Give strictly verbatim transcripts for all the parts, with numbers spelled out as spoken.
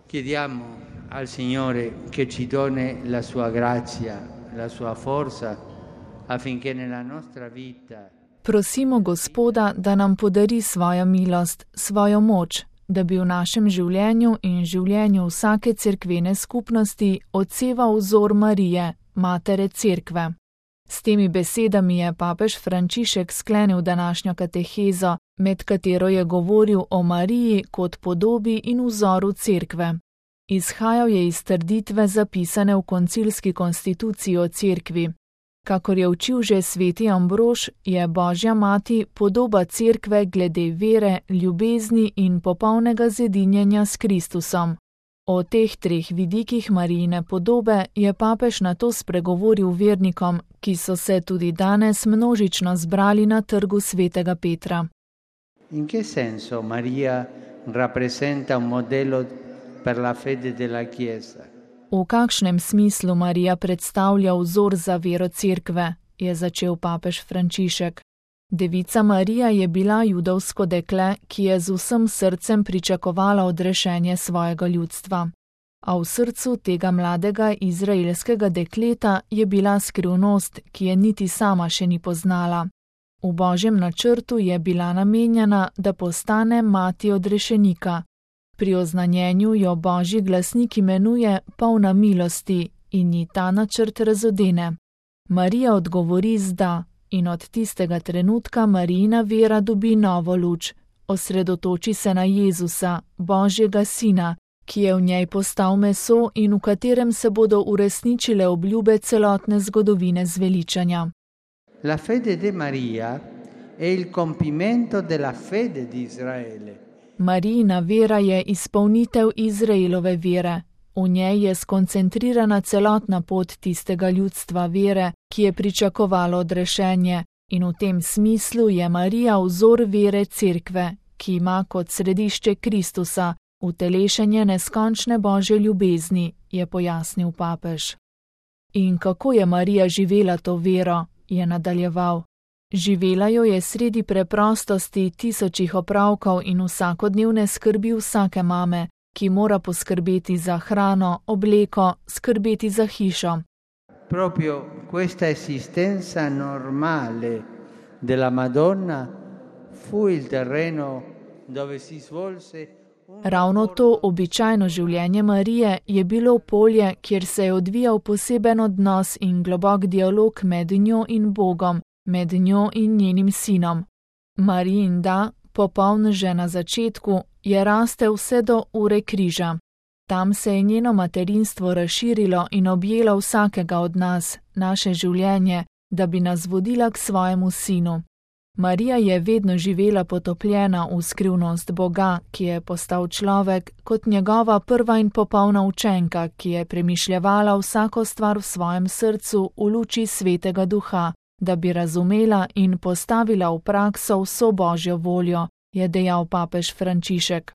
Chiediamo al Signore che ci doni la sua grazia, la sua forza, affinché nella nostra vita. Prosimo Gospoda, da nam podari svojo milost, svojo moč, da bi v našem življenju in življenju vsake cerkvene skupnosti odseval vzor Marije, matere cerkve. S temi besedami je papež Frančišek sklenil današnjo katehezo, med katero je govoril o Mariji kot podobi in vzoru cerkve. Izhajal je iz trditve zapisane v koncilski konstituciji o cerkvi. Kakor je učil že sveti Ambrož, je Božja mati podoba cerkve glede vere, ljubezni in popolnega zedinjenja s Kristusom. O teh treh vidikih Marijine podobe je papež nato spregovoril vernikom, ki so se tudi danes množično zbrali na trgu svetega Petra. In che senso Maria rappresenta un modello per la fede della Chiesa? V kakšnem smislu Marija predstavlja vzor za vero cerkve, je začel papež Frančišek. Devica Marija je bila judovsko dekle, ki je z vsem srcem pričakovala odrešenje svojega ljudstva. A v srcu tega mladega izraelskega dekleta je bila skrivnost, ki je niti sama še ni poznala. V Božjem načrtu je bila namenjena, da postane mati odrešenika. Pri oznanjenju jo Božji glasnik imenuje polna milosti in ji ta načrt razodene. Marija odgovori z da in od tistega trenutka Marijina vera dobi novo luč. Osredotoči se na Jezusa, Božjega sina, ki je v njej postal meso in v katerem se bodo uresničile obljube celotne zgodovine zveličanja. La fede de Maria è il compimento della fede di Israele. Marijina vera je izpolnitev Izraelove vere. V njej je skoncentrirana celotna pot tistega ljudstva vere, ki je pričakovalo odrešenje, in v tem smislu je Marija vzor vere cerkve, ki ima kot središče Kristusa, utelešenje neskončne Božje ljubezni, je pojasnil papež. In kako je Marija živela to vero, je nadaljeval. Živela jo je sredi preprostosti tisočih opravkov in vsakodnevne skrbi vsake mame, ki mora poskrbeti za hrano, obleko, skrbeti za hišo. Proprio questa esistenza normale della Madonna fu il terreno dove si svolse. Ravno to običajno življenje Marije je bilo polje, kjer se je odvijal poseben odnos in globok dialog med njo in Bogom, med njo in njenim sinom. Marijin da, popoln že na začetku, je rastel vse do ure križa. Tam se je njeno materinstvo razširilo in objelo vsakega od nas, naše življenje, da bi nas vodila k svojemu sinu. Marija je vedno živela potopljena v skrivnost Boga, ki je postal človek, kot njegova prva in popolna učenka, ki je premišljevala vsako stvar v svojem srcu v luči svetega duha, da bi razumela in postavila v prakso vso Božjo voljo, je dejal papež Frančišek.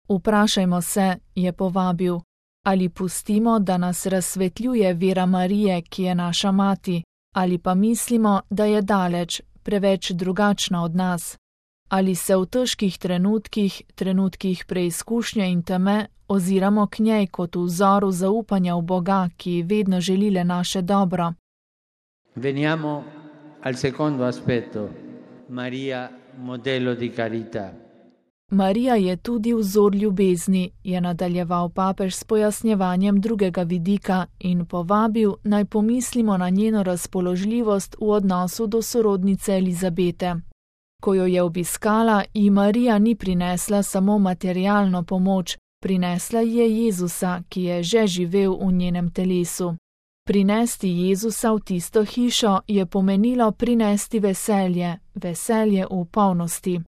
Vprašajmo se, je povabil, ali pustimo, da nas razsvetljuje vera Marije, ki je naša mati, ali pa mislimo, da je daleč, preveč drugačna od nas. Ali se v težkih trenutkih, trenutkih preizkušnje in teme, oziramo k njej kot v vzoru zaupanja v Boga, ki vedno želi le naše dobro. Veniamo al secondo aspetto. Maria, modello di carità. Marija je tudi vzor ljubezni, je nadaljeval papež s pojasnjevanjem drugega vidika in povabil, naj pomislimo na njeno razpoložljivost v odnosu do sorodnice Elizabete. Ko jo je obiskala, ji Marija ni prinesla samo materialno pomoč, prinesla ji je Jezusa, ki je že živel v njenem telesu. Prinesti Jezusa v tisto hišo je pomenilo prinesti veselje, veselje v polnosti.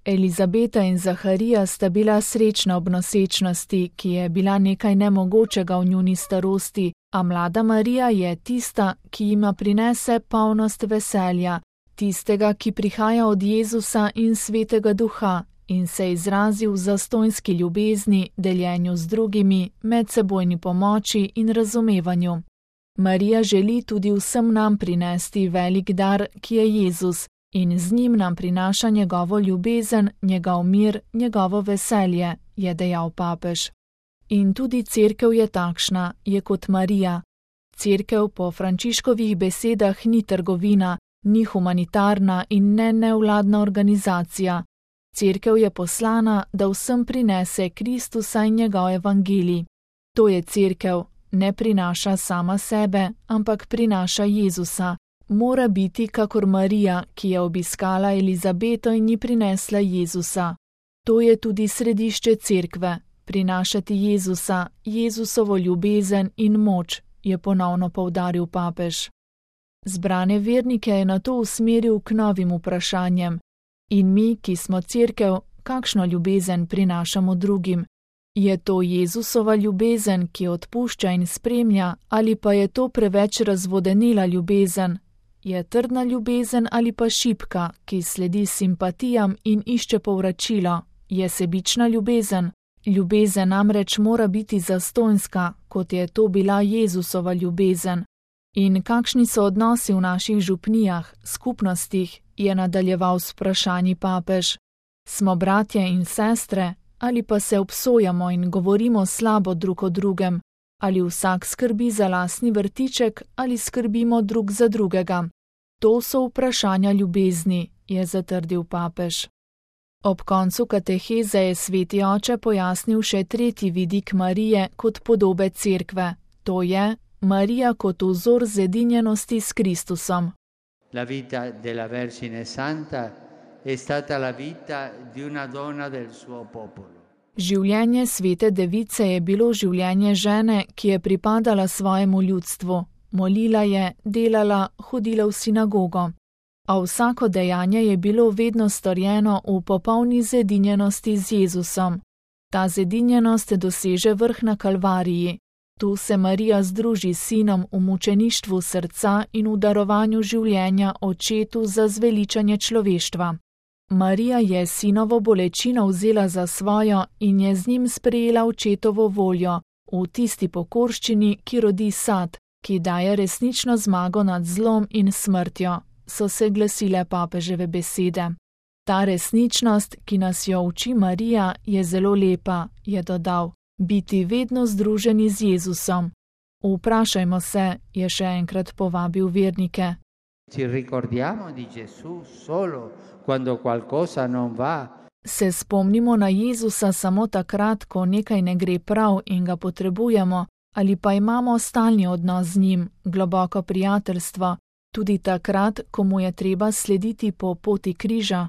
Elizabeta in Zaharija sta bila srečna ob nosečnosti, ki je bila nekaj nemogočega v njuni starosti, a mlada Marija je tista, ki jima prinese polnost veselja, tistega, ki prihaja od Jezusa in svetega duha in se izrazi v zastonjski ljubezni, deljenju z drugimi, medsebojni pomoči in razumevanju. Marija želi tudi vsem nam prinesti velik dar, ki je Jezus, in z njim nam prinaša njegovo ljubezen, njegov mir, njegovo veselje, je dejal papež. In tudi cerkev je takšna, je kot Marija. Cerkev po Frančiškovih besedah ni trgovina, ni humanitarna in ne nevladna organizacija. Cerkev je poslana, da vsem prinese Kristusa in njegov evangelij. To je cerkev, ne prinaša sama sebe, ampak prinaša Jezusa. Mora biti kakor Marija, ki je obiskala Elizabeto in ji prinesla Jezusa. To je tudi središče cerkve, prinašati Jezusa, Jezusovo ljubezen in moč, je ponovno poudaril papež. Zbrane vernike je nato usmeril k novim vprašanjem. In mi, ki smo cerkev, kakšno ljubezen prinašamo drugim? Je to Jezusova ljubezen, ki odpušča in spremlja, ali pa je to preveč razvodenela ljubezen? Je trdna ljubezen ali pa šibka, ki sledi simpatijam in išče povračilo? Je sebična ljubezen? Ljubezen namreč mora biti zastonjska, kot je to bila Jezusova ljubezen. In kakšni so odnosi v naših župnijah, skupnostih, je nadaljeval s vprašanji papež. Smo bratje in sestre, ali pa se obsojamo in govorimo slabo drug o drugem, ali vsak skrbi za lastni vrtiček, ali skrbimo drug za drugega. To so vprašanja ljubezni, je zatrdil papež. Ob koncu kateheze je sveti oče pojasnil še tretji vidik Marije kot podobe cerkve, to je Marija kot vzor zedinjenosti s Kristusom. La vita della Vergine Santa è stata la vita di una donna del suo popolo. Življenje svete device je bilo življenje žene, ki je pripadala svojemu ljudstvu. Molila je, delala, hodila v sinagogo. A vsako dejanje je bilo vedno storjeno v popolni zedinjenosti z Jezusom. Ta zedinjenost doseže vrh na Kalvariji. Tu se Marija združi s sinom v mučeništvu srca in v darovanju življenja očetu za zveličanje človeštva. Marija je sinovo bolečino vzela za svojo in je z njim sprejela očetovo voljo, v tisti pokorščini, ki rodi sad, ki daje resnično zmago nad zlom in smrtjo, so se glasile papeževe besede. Ta resničnost, ki nas jo uči Marija, je zelo lepa, je dodal. Biti vedno združeni z Jezusom. Vprašajmo se, je še enkrat povabil vernike. Ci ricordiamo di Gesù solo quando qualcosa non va. Se spomnimo na Jezusa samo takrat, ko nekaj ne gre prav in ga potrebujemo, ali pa imamo stalni odnos z njim, globoko prijateljstvo, tudi takrat, ko mu je treba slediti po poti križa.